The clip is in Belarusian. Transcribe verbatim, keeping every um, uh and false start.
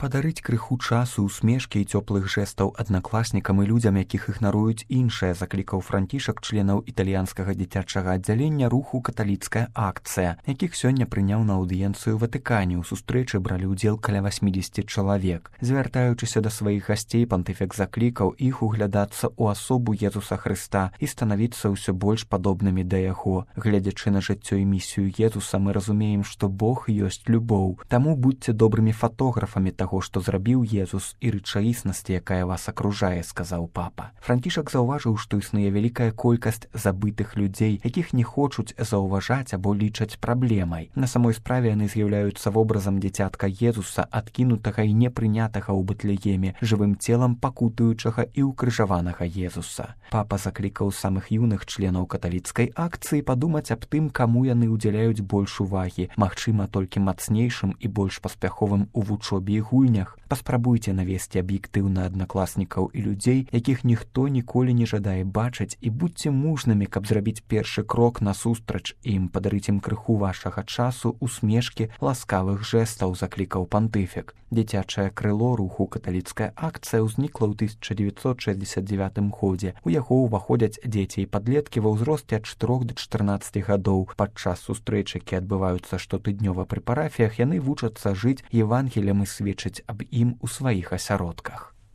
Падарыць крыху часу, усмешкі і цёплых жэстаў аднакласнікам і людзям, якіх ігнаруюць іншыя, заклікаў Францішак членаў італьянскага дзіцячага аддзялення руху «Каталіцкая акцыя», якіх сёння прыняў на аўдыенцыю ў Ватыкане. У сустрэчы бралі ўдзел каля васьмідзесяці чалавек. Звяртаючыся да сваіх гасцей, пантыфік заклікаў іх углядацца ў асобу Езуса Хрыста і станавіцца ўсё больш падобнымі да яго. Гледзячы на жыццё і місію Езуса, мы разумеем, што Бог ёсць любоў. Таму будьце добрымі фатографамі таго, што зрабіў Езус, і рэчаіснасці, якая вас акружае, сказаў папа. Францішак заўважыў, што існуе вялікая колькасць забытых людзей, якіх не хочуць заўважаць або лічаць праблемай. На самой справе яны з'яўляюцца вобразам дзіцятка Езуса, адкінутага і непрынятага ў Бэтлееме, жывым целам пакутуючага і ўкрыжаванага Езуса. Папа заклікаў самых юных членаў каталіцкай акцыі падумаць аб тым, каму яны ўдзяляюць больш увагі, магчыма, толькі мацнейшым і больш паспяховым у вучобе і гульнях. Паспрабуйце навесці аб'ектыўна аднакласнікаў і людзей, якіх ніхто ніколі не жадае бачыць, і будьце мужнымі, каб зрабіць першы крок насустрач ім, падарыць ім крыху вашага часу, усмешкі, ласкавых жэстаў, заклікаў пантыфік. Дзіцячае крыло руху «Каталіцкая акцыя» ўзнікла ў тысяча дзевяцьсот шэсцьдзесят дзевятым годзе. У яго ўваходзяць дзеці і падлеткі ва ўзросце ад чатырох да чатырнаццаці гадоў. Падчас сустрэч, якія адбываюцца штотыднёва пры парафіях, яны вучацца жыць Евангеліем і сведчыць аб ім у сваіх асяродках.